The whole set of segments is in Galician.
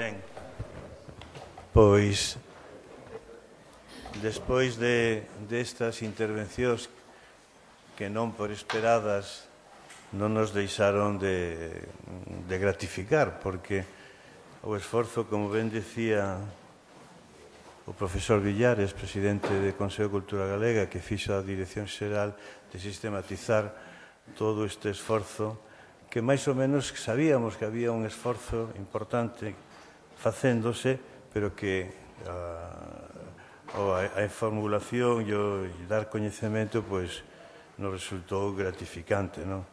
Ben, pois, despois destas intervencións que non por esperadas non nos deixaron de gratificar, porque o esforzo, como ben decía o profesor Villares, presidente do Consello de Cultura Galega, que fixo a Dirección Xeral de sistematizar todo este esforzo, que máis ou menos sabíamos que había un esforzo importante facéndose, pero que a formulación e o dar coñecemento nos resultou gratificante, non?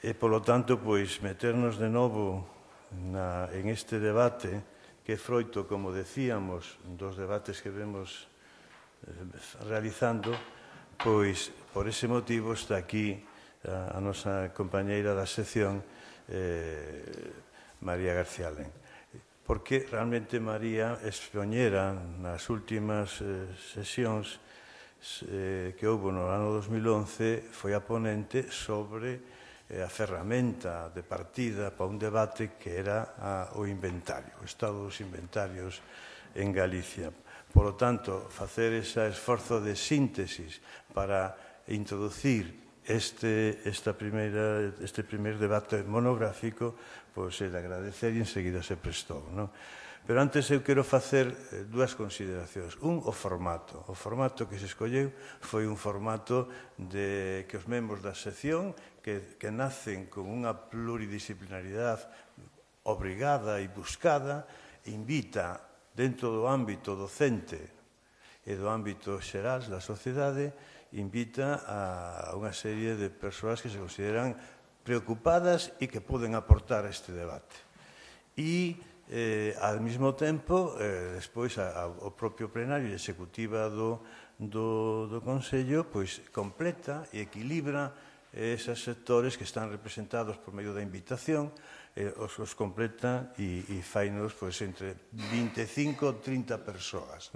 E, polo tanto, meternos de novo en este debate que é froito, como decíamos, dos debates que vemos realizando, por ese motivo está aquí a nosa compañeira da sección, María García Alén. Porque realmente María expoñera nas últimas sesións que houve no ano 2011, foi a ponente sobre a ferramenta de partida para un debate que era o inventario, o estado dos inventarios en Galicia. Por lo tanto, facer ese esforzo de síntesis para introducir este primer debate monográfico, é de agradecer e enseguida se prestou, non? Pero antes eu quero facer dúas consideracións. O formato. O formato que se escolleu foi un formato que os membros da sección, que nacen con unha pluridisciplinaridade obrigada e buscada, invita dentro do ámbito docente e do ámbito xeral da sociedade, invita a unha serie de persoas que se consideran preocupadas e que poden aportar a este debate. E, ao mesmo tempo, despois, o propio plenario e executiva do Consello completa e equilibra esos sectores que están representados por medio da invitación, os completa e fainos entre 25 e 30 persoas.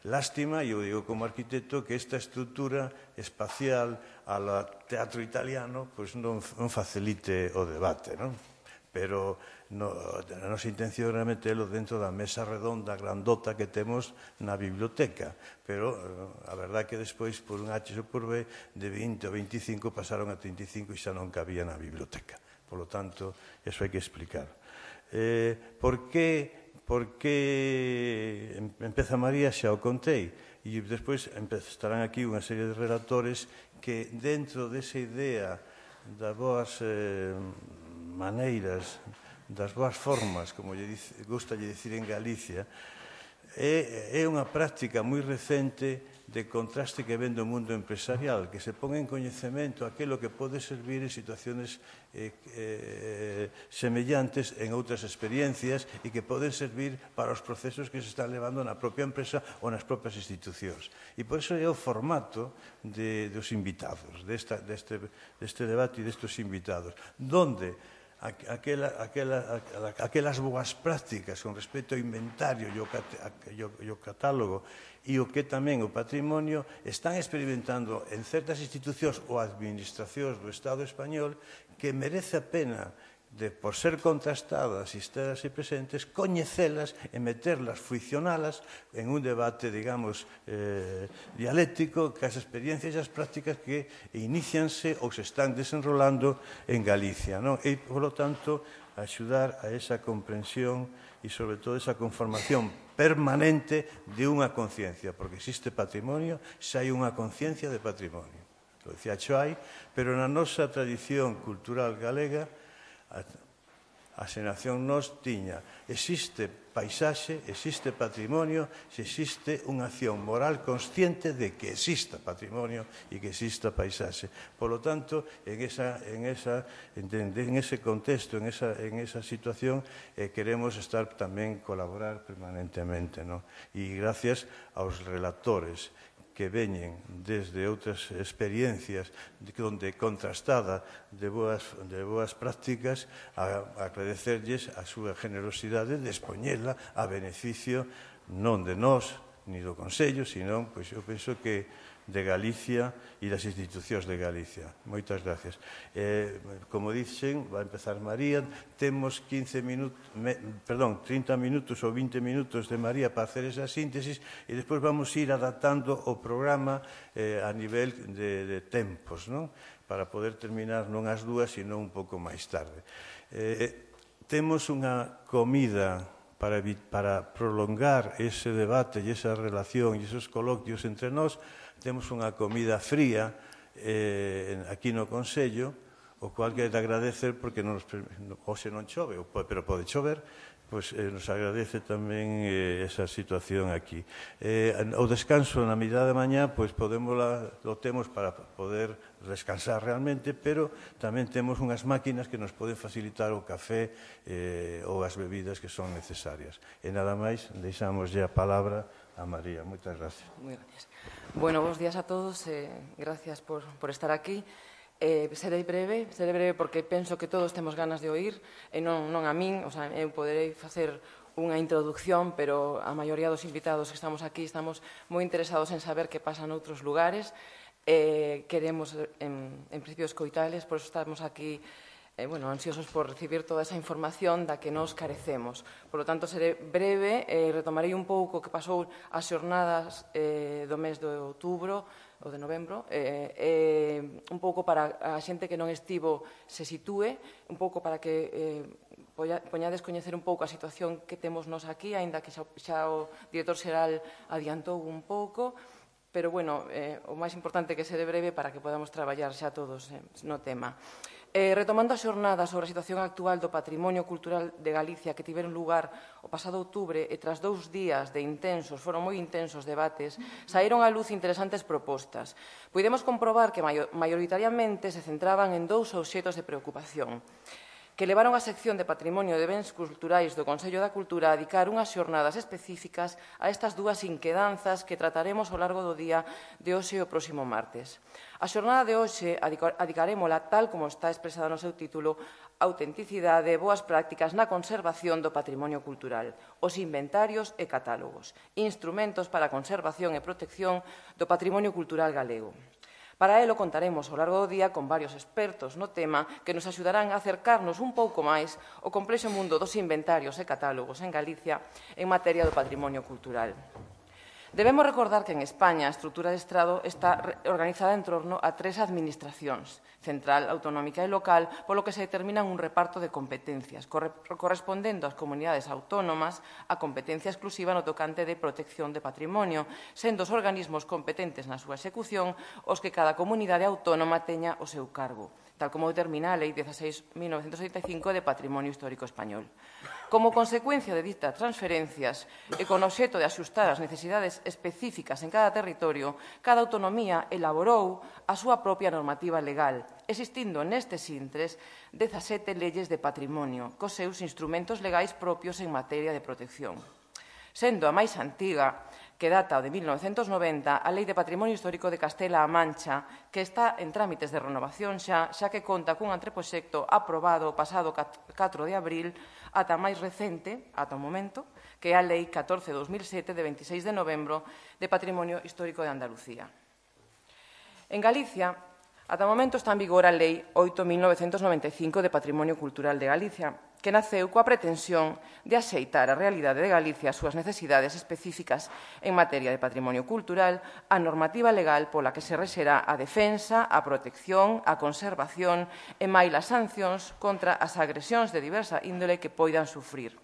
Lástima, e eu digo como arquitecto, que esta estrutura espacial ao teatro italiano non facilite o debate, non? Pero a nosa intención era metelo dentro da mesa redonda grandota que temos na biblioteca, pero a verdade é que despois, por un H ou por B, de 20 ou 25 pasaron a 35 e xa non cabía na biblioteca. Por lo tanto, eso hai que explicar. Por que empeza María, xa o contei, e despois estarán aquí unha serie de relatores que dentro desa idea das boas maneiras, das boas formas, como gusta dicir en Galicia, é unha práctica moi recente de contraste que ven do mundo empresarial, que se pon en coñecemento aquilo que pode servir en situaciones semellantes en outras experiencias e que poden servir para os procesos que se están levando na propia empresa ou nas propias institucións. E por iso é o formato dos invitados, deste debate e destes invitados, donde aquelas boas prácticas con respecto ao inventario e o catálogo e o que tamén o patrimonio están experimentando en certas institucións ou administracións do Estado español que merece a pena, por ser contrastadas e estar así presentes, coñecelas e meterlas, friccionalas en un debate, digamos, dialéctico, que as experiencias e as prácticas que inicianse ou se están desenrolando en Galicia, non? E, polo tanto, axudar a esa comprensión e, sobre todo, esa conformación permanente de unha conciencia, porque existe patrimonio, xa hai unha conciencia de patrimonio. Lo decía Choai, pero na nosa tradición cultural galega, a xeración nos tiña, existe paisaxe, existe patrimonio, se existe unha acción moral consciente de que exista patrimonio e que exista paisaxe. Por lo tanto, en ese contexto, en esa situación, queremos estar tamén colaborar permanentemente, non? E gracias aos relatores que veñen desde outras experiencias onde contrastada de boas prácticas, a agradecerlles a súa generosidade de expoñela a beneficio non de nós, ni do Consello, senón, pois eu penso que de Galicia e das institucións de Galicia. Moitas gracias. Como dixen, vai empezar María, temos 30 minutos ou 20 minutos de María para hacer esa síntesis e despois vamos ir adaptando o programa a nivel de tempos, non? Para poder terminar non ás 2, sino un pouco máis tarde. Temos unha comida para prolongar ese debate e esa relación e esos coloquios entre nós. Temos unha comida fría aquí no Consello, o cual quero agradecer porque hoxe non chove, pero pode chover, pois nos agradece tamén esa situación aquí. O descanso na mitad de mañá, pois lo temos para poder descansar realmente, pero tamén temos unhas máquinas que nos poden facilitar o café ou as bebidas que son necesarias. E nada máis, deixamos a palabra a María. Moitas gracias. Moi gracias. Bueno, bons días a todos. Gracias por estar aquí. Serei breve porque penso que todos temos ganas de oír, e non a min, eu poderei facer unha introducción, pero a maioría dos invitados que estamos aquí estamos moi interesados en saber que pasa noutros lugares. Queremos, en principio, escoitales, por eso estamos aquí ansiosos por recibir toda esa información da que nos carecemos. Por lo tanto, seré breve e retomarei un pouco o que pasou as xornadas do mes de outubro ou de novembro, un pouco para a xente que non estivo se sitúe, un pouco para que poñades coñecer un pouco a situación que temos nos aquí, aínda que xa o director xeral adiantou un pouco, pero, o máis importante é que seré breve para que podamos traballar xa todos no tema. Retomando a xornada sobre a situación actual do patrimonio cultural de Galicia que tiveron lugar o pasado outubro e tras 2 días de foron moi intensos debates, saíron á luz interesantes propostas. Puidemos comprobar que maioritariamente se centraban en 2 obxectos de preocupación, que levaron a sección de Patrimonio de Bens Culturais do Consello da Cultura a dedicar unhas xornadas específicas a estas 2 inquedanzas que trataremos ao largo do día de hoxe e o próximo martes. A xornada de hoxe adicarémola, tal como está expresada no seu título, autenticidade e boas prácticas na conservación do patrimonio cultural, os inventarios e catálogos, instrumentos para a conservación e protección do patrimonio cultural galego. Para elo contaremos ao largo do día con varios expertos no tema que nos axudarán a acercarnos un pouco máis ao complexo mundo dos inventarios e catálogos en Galicia en materia do patrimonio cultural. Debemos recordar que en España a estrutura de Estado está organizada en torno a 3 administracións, central, autonómica e local, polo que se determinan un reparto de competencias, correspondendo ás comunidades autónomas a competencia exclusiva no tocante de protección de patrimonio, sendo os organismos competentes na súa execución os que cada comunidade autónoma teña o seu cargo, tal como determina a Lei 16.985 de Patrimonio Histórico Español. Como consecuencia de ditas transferencias e con obxecto de axustar as necesidades específicas en cada territorio, cada autonomía elaborou a súa propia normativa legal, existindo nestes intres 17 leyes de patrimonio, cos seus instrumentos legais propios en materia de protección. Sendo a máis antiga, que data o de 1990, a Lei de Patrimonio Histórico de Castela-A Mancha, que está en trámites de renovación xa que conta cun anteproxecto aprobado o pasado 4 de abril, ata máis recente, ata o momento, que é a Lei 14/2007 de 26 de novembro de Patrimonio Histórico de Andalucía. En Galicia, ata o momento está en vigor a Lei 8.995 de Patrimonio Cultural de Galicia, que naceu coa pretensión de axeitar a realidade de Galicia as súas necesidades específicas en materia de patrimonio cultural, a normativa legal pola que se rexerá a defensa, a protección, a conservación e máis sancións contra as agresións de diversa índole que poidan sufrir.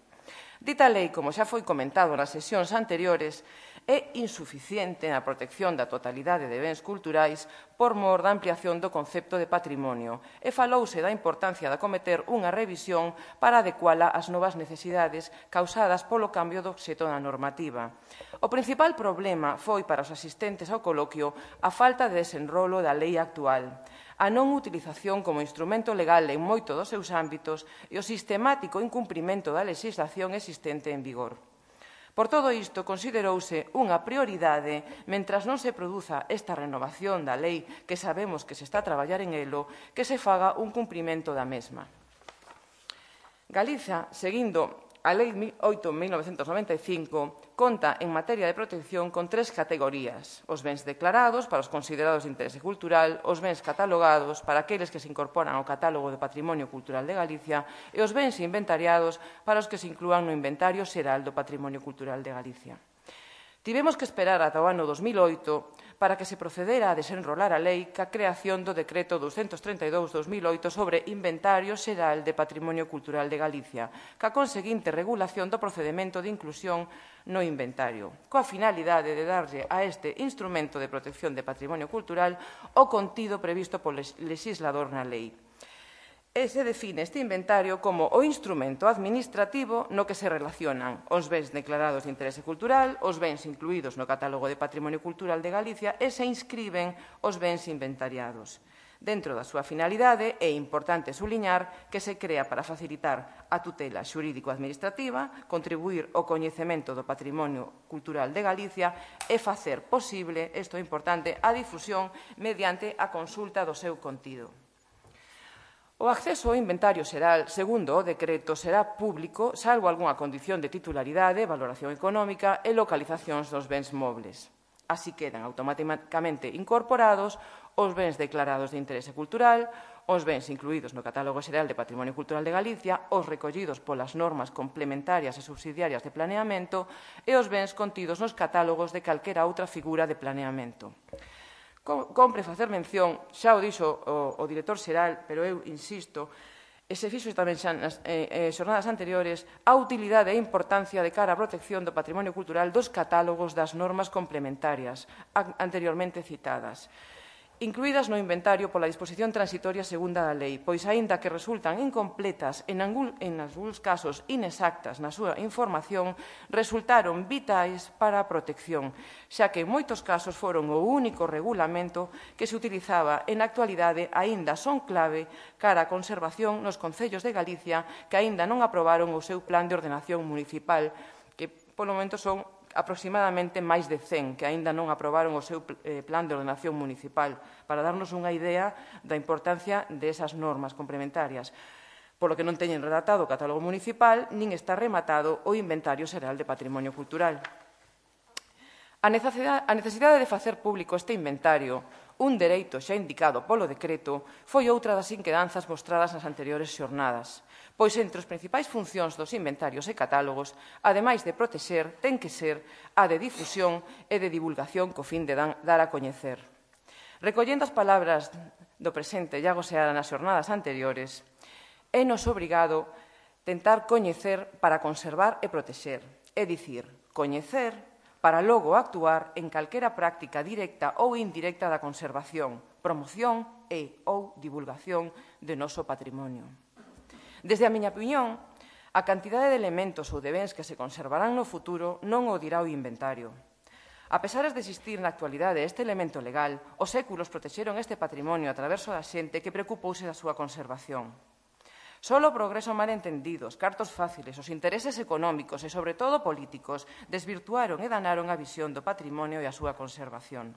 Dita lei, como xa foi comentado nas sesións anteriores, é insuficiente na protección da totalidade de bens culturais por mor da ampliación do concepto de patrimonio e falouse da importancia de acometer unha revisión para adecuala ás novas necesidades causadas polo cambio do obxecto da normativa. O principal problema foi para os asistentes ao coloquio a falta de desenrolo da lei actual, a non utilización como instrumento legal en moito dos seus ámbitos e o sistemático incumprimento da legislación existente en vigor. Por todo isto, considerouse unha prioridade, mentras non se produza esta renovación da lei que sabemos que se está a traballar en elo, que se faga un cumprimento da mesma. Galiza, seguindo a Lei 8/1995 conta en materia de protección con 3 categorías: os bens declarados para os considerados de interese cultural, os bens catalogados para aqueles que se incorporan ao catálogo de Patrimonio Cultural de Galicia e os bens inventariados para os que se inclúan no Inventario Xeral do Patrimonio Cultural de Galicia. Tivemos que esperar ata o ano 2008 para que se procedera a desenrolar a lei ca creación do Decreto 232/2008 sobre Inventario Xeral de Patrimonio Cultural de Galicia, ca conseguinte regulación do procedemento de inclusión no inventario, coa finalidade de darlle a este instrumento de protección de patrimonio cultural o contido previsto polo legislador na lei. E se define este inventario como o instrumento administrativo no que se relacionan os bens declarados de interese cultural, os bens incluídos no Catálogo de Patrimonio Cultural de Galicia e se inscriben os bens inventariados. Dentro da súa finalidade, é importante suliñar que se crea para facilitar a tutela xurídico-administrativa, contribuir ao coñecemento do patrimonio cultural de Galicia e facer posible, isto é importante, a difusión mediante a consulta do seu contido. O acceso ao inventario xeral, segundo o decreto, será público, salvo algunha condición de titularidade, valoración económica e localizacións dos bens mobles. Así quedan automáticamente incorporados os bens declarados de interese cultural, os bens incluídos no Catálogo Xeral de Patrimonio Cultural de Galicia, os recollidos polas normas complementarias e subsidiarias de planeamento e os bens contidos nos catálogos de calquera outra figura de planeamento. Compre facer mención, xa o dixo o director xeral, pero eu insisto, e se fixo tamén xa nas xornadas anteriores, a utilidade e importancia de cara á protección do patrimonio cultural dos catálogos das normas complementarias anteriormente citadas, incluídas no inventario pola disposición transitoria segunda da lei, pois aínda que resultan incompletas en algúns casos inexactas na súa información, resultaron vitais para a protección, xa que en moitos casos foron o único regulamento que se utilizaba e na actualidade aínda son clave cara á conservación nos concellos de Galicia que aínda non aprobaron o seu plan de ordenación municipal, que polo momento son aproximadamente máis de 100 que aínda non aprobaron o seu plan de ordenación municipal, para darnos unha idea da importancia desas normas complementarias, polo que non teñen redactado o catálogo municipal nin está rematado o Inventario Xeral de Patrimonio Cultural. A necesidade de facer público este inventario, un dereito xa indicado polo decreto, foi outra das inquedanzas mostradas nas anteriores xornadas, pois entre as principais funcións dos inventarios e catálogos, ademais de protexer, ten que ser a de difusión e de divulgación co fin de dar a coñecer. Recollendo as palabras do presente Iago Seara nas xornadas anteriores, é nos obrigado tentar coñecer para conservar e protexer, é dicir, coñecer para logo actuar en calquera práctica directa ou indirecta da conservación, promoción e ou divulgación do noso patrimonio. Desde a miña opinión, a cantidade de elementos ou de bens que se conservarán no futuro non o dirá o inventario. A pesar de existir na actualidade este elemento legal, os séculos protexeron este patrimonio a traverso da xente que preocupouse da súa conservación. Só o progreso malentendido, os cartos fáciles, os intereses económicos e, sobre todo, políticos, desvirtuaron e danaron a visión do patrimonio e a súa conservación.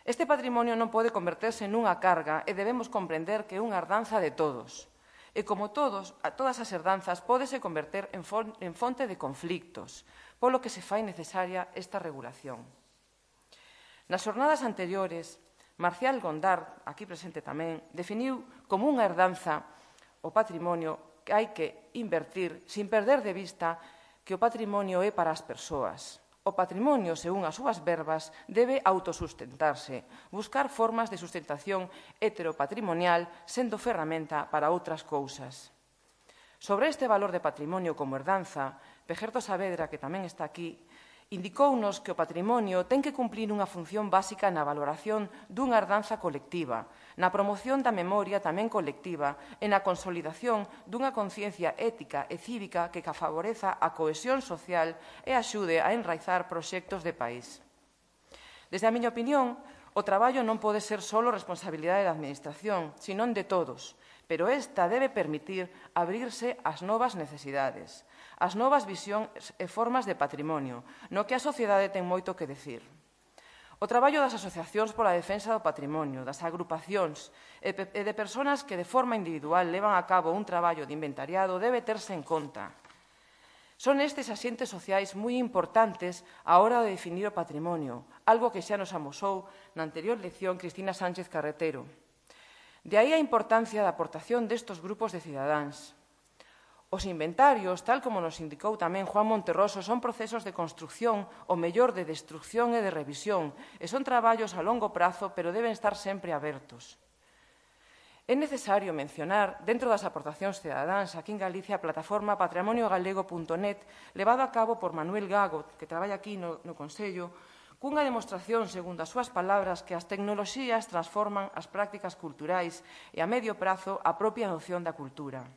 Este patrimonio non pode converterse nunha carga e debemos comprender que é unha herdanza de todos. E como todas as herdanzas pódese converter en fonte de conflictos, polo que se fai necesaria esta regulación. Nas xornadas anteriores, Marcial Gondar, aquí presente tamén, definiu como unha herdanza o patrimonio que hai que invertir sin perder de vista que o patrimonio é para as persoas. O patrimonio, según as súas verbas, debe autosustentarse, buscar formas de sustentación heteropatrimonial, sendo ferramenta para outras cousas. Sobre este valor de patrimonio como herdanza, Pejerto Saavedra, que tamén está aquí, indicounos que o patrimonio ten que cumplir unha función básica na valoración dunha herdanza colectiva, na promoción da memoria tamén colectiva e na consolidación dunha conciencia ética e cívica que favoreza a cohesión social e axude a enraizar proxectos de país. Desde a miña opinión, o traballo non pode ser só responsabilidade da Administración, senón de todos, pero esta debe permitir abrirse ás novas necesidades, ás novas visións e formas de patrimonio, no que a sociedade ten moito que decir. O traballo das asociacións pola defensa do patrimonio, das agrupacións e de persoas que de forma individual levan a cabo un traballo de inventariado debe terse en conta. Son estes axentes sociais moi importantes á hora de definir o patrimonio, algo que xa nos amosou na anterior lección Cristina Sánchez Carretero. De aí a importancia da aportación destes grupos de cidadáns. Os inventarios, tal como nos indicou tamén Juan Monterroso, son procesos de construcción, o mellor de destrucción e de revisión, e son traballos a longo prazo, pero deben estar sempre abertos. É necesario mencionar, dentro das aportacións cidadáns, aquí en Galicia, a plataforma patrimoniogalego.net, levada a cabo por Manuel Gago, que traballa aquí no Consello, cunha demostración, segundo as súas palabras, que as tecnoloxías transforman as prácticas culturais e a medio prazo a propia noción da cultura.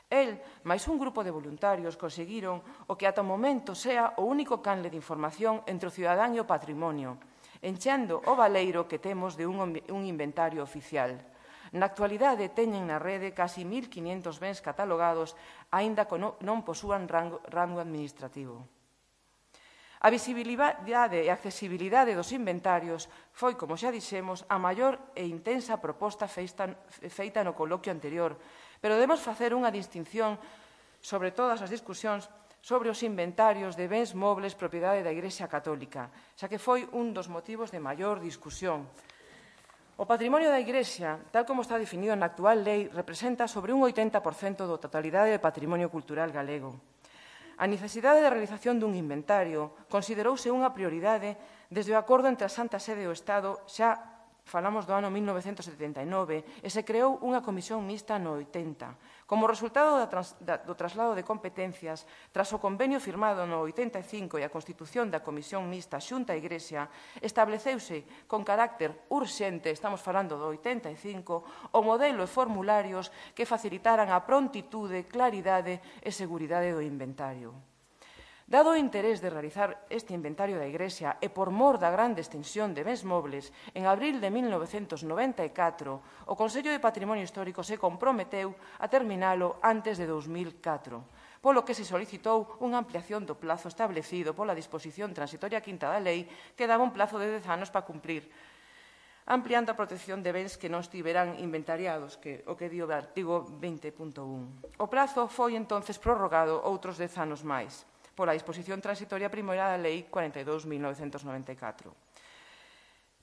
El, máis un grupo de voluntarios, conseguiron o que ata o momento sea o único canle de información entre o cidadán e o patrimonio, enchendo o baleiro que temos de un inventario oficial. Na actualidade teñen na rede casi 1.500 bens catalogados, aínda que non posúan rango administrativo. A visibilidade e accesibilidade dos inventarios foi, como xa dixemos, a maior e intensa proposta feita no coloquio anterior, pero debemos facer unha distinción sobre todas as discusións sobre os inventarios de bens mobles propiedade da Igrexa Católica, xa que foi un dos motivos de maior discusión. O patrimonio da Igrexa, tal como está definido na actual lei, representa sobre un 80% da totalidade do patrimonio cultural galego. A necesidade de realización dun inventario considerouse unha prioridade desde o acordo entre a Santa Sede e o Estado, xa falamos do ano 1979, e se creou unha comisión mixta no 80. Como resultado do traslado de competencias, tras o convenio firmado no 85 e a constitución da comisión mixta Xunta e Igrexa, estableceuse con carácter urxente, estamos falando do 85, o modelo e formularios que facilitaran a prontitude, claridade e seguridade do inventario. Dado o interés de realizar este inventario da Igrexa e por mor da grande extensión de bens mobles, en abril de 1994, o Consello de Patrimonio Histórico se comprometeu a terminalo antes de 2004, polo que se solicitou unha ampliación do plazo establecido pola disposición transitoria quinta da lei, que daba un plazo de 10 anos para cumprir, ampliando a protección de bens que non estiveran inventariados, o que di o artigo 20.1. O prazo foi entonces prorrogado outros 10 anos máis, pola disposición transitoria primeira da Lei 42.1994.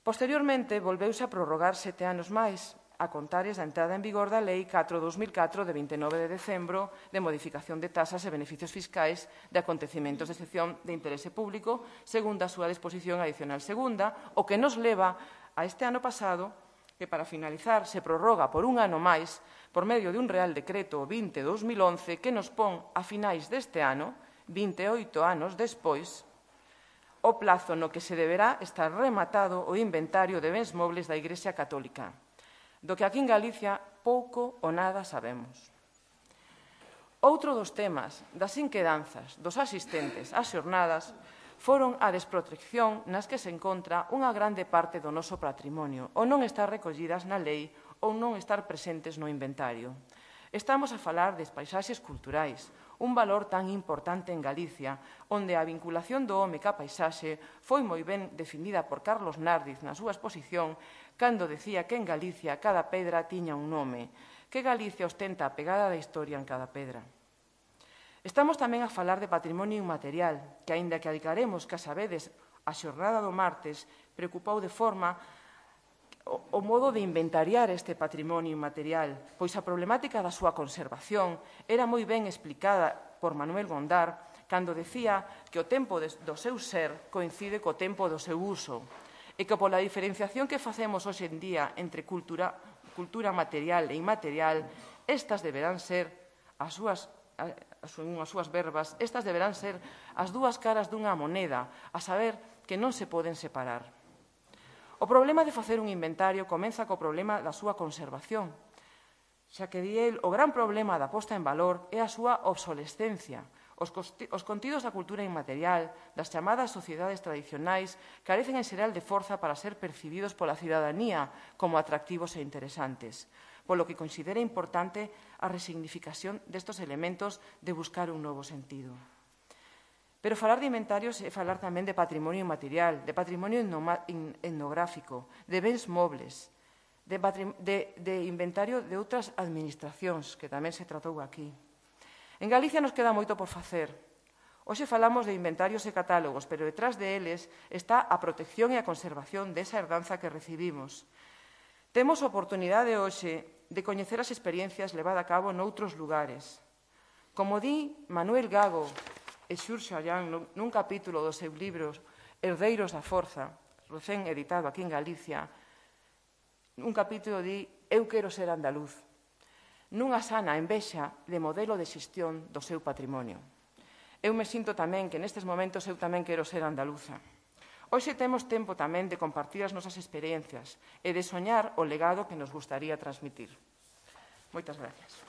Posteriormente, volveuse a prorrogar 7 anos máis, a contares da entrada en vigor da Lei 4/2004 de 29 de decembro de modificación de tasas e beneficios fiscais de acontecementos de excepción de interese público, segundo a súa disposición adicional segunda, o que nos leva a este ano pasado, que para finalizar se prorroga por un ano máis por medio de un Real Decreto 20/2011 que nos pon a finais deste ano, 28 anos despois, o plazo no que se deberá estar rematado o inventario de bens mobles da Igrexa Católica, do que aquí en Galicia pouco ou nada sabemos. Outro dos temas das inquedanzas dos asistentes ás xornadas foron a desprotección nas que se encontra unha grande parte do noso patrimonio, ou non estar recollidas na lei ou non estar presentes no inventario. Estamos a falar de paisaxes culturais, un valor tan importante en Galicia, onde a vinculación do home ca paisaxe foi moi ben definida por Carlos Nardiz na súa exposición, cando decía que en Galicia cada pedra tiña un nome, que Galicia ostenta a pegada da historia en cada pedra. Estamos tamén a falar de patrimonio inmaterial, que, aínda que adicaremos, que a sabedes, a xornada do martes, preocupou de forma o modo de inventariar este patrimonio inmaterial, pois a problemática da súa conservación era moi ben explicada por Manuel Gondar cando decía que o tempo do seu ser coincide co tempo do seu uso e que pola diferenciación que facemos hoxe en día entre cultura material e inmaterial, estas deberán ser as súas verbas, estas deberán ser as dúas caras dunha moneda, a saber que non se poden separar. O problema de facer un inventario comeza co problema da súa conservación, xa que di el, o gran problema da posta en valor é a súa obsolescencia. Os contidos da cultura inmaterial, das chamadas sociedades tradicionais, carecen en xeral de forza para ser percibidos pola cidadanía como atractivos e interesantes, polo que considera importante a resignificación destes elementos de buscar un novo sentido. Pero falar de inventarios é falar tamén de patrimonio inmaterial, de patrimonio etnográfico, de bens mobles, de inventario de outras administracións, que tamén se tratou aquí. En Galicia nos queda moito por facer. Hoxe falamos de inventarios e catálogos, pero detrás de eles está a protección e a conservación desa herdanza que recibimos. Temos a oportunidade hoxe de coñecer as experiencias levadas a cabo noutros lugares. Como di Manuel Gago e Xurxo Allán nun capítulo dos seus libros Herdeiros da Forza, recén editado aquí en Galicia, un capítulo di Eu quero ser andaluz, nunha sana envexa de modelo de xestión do seu patrimonio. Eu me sinto tamén que nestes momentos eu tamén quero ser andaluza. Hoxe temos tempo tamén de compartir as nosas experiencias e de soñar o legado que nos gustaría transmitir. Moitas gracias.